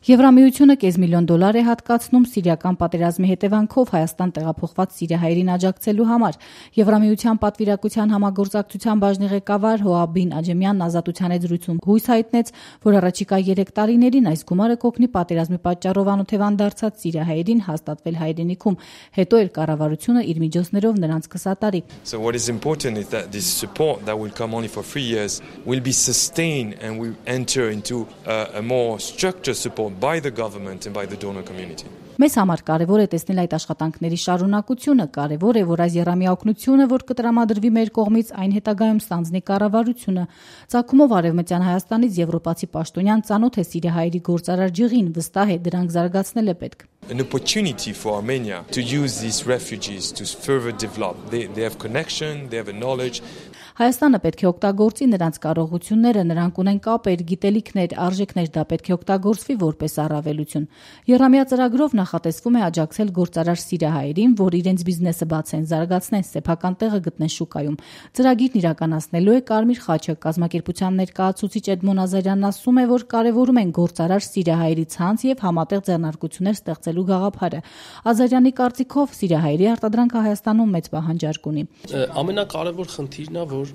Եվրամիությունը կես միլիոն դոլար է հատկացնում սիրիական պատերազմի հետևանքով Հայաստան տեղափոխված սիրիահայերին աջակցելու համար։ Եվրամիության պատվիրակության համագործակցության բաժնի ղեկավար Հոաբին Աջեմյանն Ազատության զրույցում հույս հայտնեց, որ առաջիկա 3 տարիներին այս գումարը կօգնի պատերազմի պատճառով անօթևան դարձած սիրիահայերին հաստատվել հայրենիքում, հետո էլ կառավարությունը իր միջոցներով նրանց կսատարի։ So what is important is that this support that will come only for 3 years will be sustained and will enter into a more structured support by the government and by the donor community. Մեզ համար կարևոր է տեսնել այդ աշխատանքների շարունակությունը, կարևոր է, որ այս եռամյա օգնությունը, որ կտրամադրվի մեր կողմից, այն հետագայում ստանձնի կառավարությունը։ Ծագումով Արևմտյան Հայաստանից եվրոպացի պաշտոնյան ծանոթ է սիրիահայերի գործարար ջղին, վստահ է դրանք զարգացնել է պետք։ An opportunity for Armenia to use these refugees to further develop. They have connection, they have a knowledge. Հայաստանը պետք է օգտագործի նրանց կարողությունները, նրանք ունեն կապեր, գիտելիքներ, արժեքներ, դա պետք է օգտագործվի որպես առավելություն։ Եռամյա ծրագրով նախատեսվում է աջակցել գործարար սիրիահայերին, որ իրենց բիզնեսը բացեն, զարգացնեն, սեփական տեղը գտնեն շուկայում։ Ծրագիրն իրականացնելու է Կարմիր խաչը։ Կազմակերպության ներկայացուցիչ Էդմոն Ազարյանն ասում է, որ կարևորում են գործարար սիրիահայերի ցանց եւ համատեղ ձեռնարկություններ ստեղծելու գաղափարը։ Ազարյանի կարծիքով սիրիահայերի արտադրանքը Հայաստանում մեծ պահանջարկ ունի։ Ամենակարևոր խնդիրն է, որ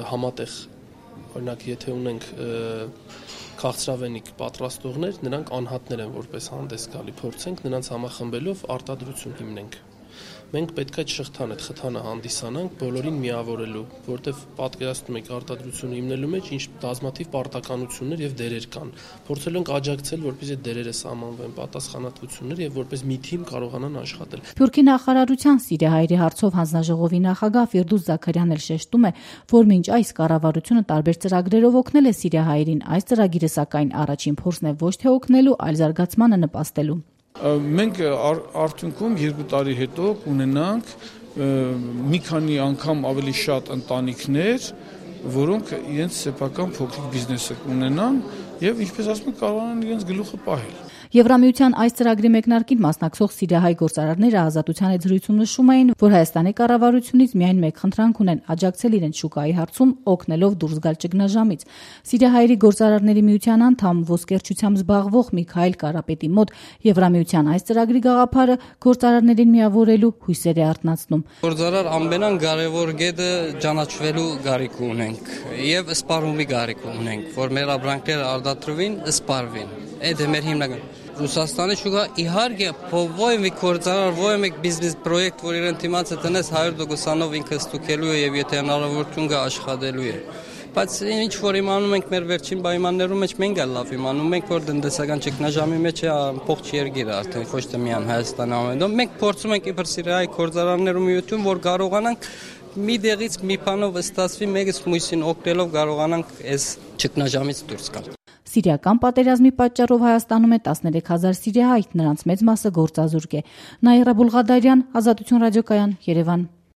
համատեղ, օրինակ, եթե ունենք քաղցրավենիք պատրաստողներ, նրանք անհատներ են որպես հանդես գալի, փորձենք նրանց համախմբելով արտադրություն հիմնենք։ Մենք պետք է այդ շղթան, այդ խթանը հանդիսանանք բոլորին միավորելու, որտեղ պատկերացնում եք արտադրությունը հիմնելու մեջ ինչ բազմաթիվ պարտականություններ եւ դերեր կան։ Փորձել ենք աջակցել, որպեսզի այդ դերերը սահմանվեն, պատասխանատվություններ եւ որպես մի թիմ կարողանան աշխատել։ Թուրքի նախարարության սիրիահայերի հարցով հանձնաժողովի նախագահ Ֆիրդուս Զաքարյանն էլ շեշտում է, որ մինչ այս կառավարությունը տարբեր ծրագրերով օգնել է սիրիահայերին, այս ծրագիրը սակայն առաջին փորձն է ոչ թե օգնելու, այլ զարգացմանը նպաստելու։ Մենք արդյունքում 2 տարի հետո կունենանք մի քանի անգամ ավելի շատ ընտանիքներ, որոնք իրենց սեփական փոքրիկ բիզնեսը կունենան եւ ինչպես ասում են կարողանան իրենց գլուխը պահել։ Եվրամիության այս ծրագրի մեկնարկին մասնակցող սիրիահայ գործարարները Ազատության զրույցում նշում էին, որ Հայաստանի կառավարությունից միայն մեկ խնդրանք ունեն՝ աջակցել իրենց շուկայի հարցում, օգնելով դուրս գալ ճգնաժամից։ Սիրիահայերի գործարարների միության անդամ ոսկերչությամբ զբաղվող Միքայել Կարապետի մոտ Եվրամիության այս ծրագրի գաղափարը գործարարներին միավորելու հույսեր է արթնացնում։ Գործարար ամենան կարևոր գետը ճանաչվելու կարիք ունենք եւ սպառումի կարիք ունենք, որ մեր ապրանքները արտադրվին, սպառվին։ Այդ է մեր հիմնական Ռուսաստանի շուկա իհարկե ո՞յ մի գործարար, ո՞յ մի բիզնես պրոյեկտ, որ իրեն դիմացը տնես 100%-անով ինքը ստուգելու է եւ եթե հնարավորություն կա աշխատելու է։ Բայց ինչ որ իմանում ենք մեր վերջին պայմաններում մեջ մենք էլ լավ իմանում ենք, որ տնտեսական ճգնաժամի մեջ է ամբողջ երկիրը արդեն ոչ թե միայն Հայաստանը ամենով։ Մենք փորձում ենք իբր սիրիահայ գործարարներու միություն, որ կարողանանք մի դեղից մի բանով ստացվի մեկից մյուսին օգնելով կարողանանք այս ճգնաժամից դուրս գալ։ Սիրիական պատերազմի պատճառով Հայաստանում է 13,000 սիրիահայ, նրանց մեծ մասը գործազուրկ է։ Նաիրա Բուլղադարյան, Ազատություն ռադիոկայան, Երևան։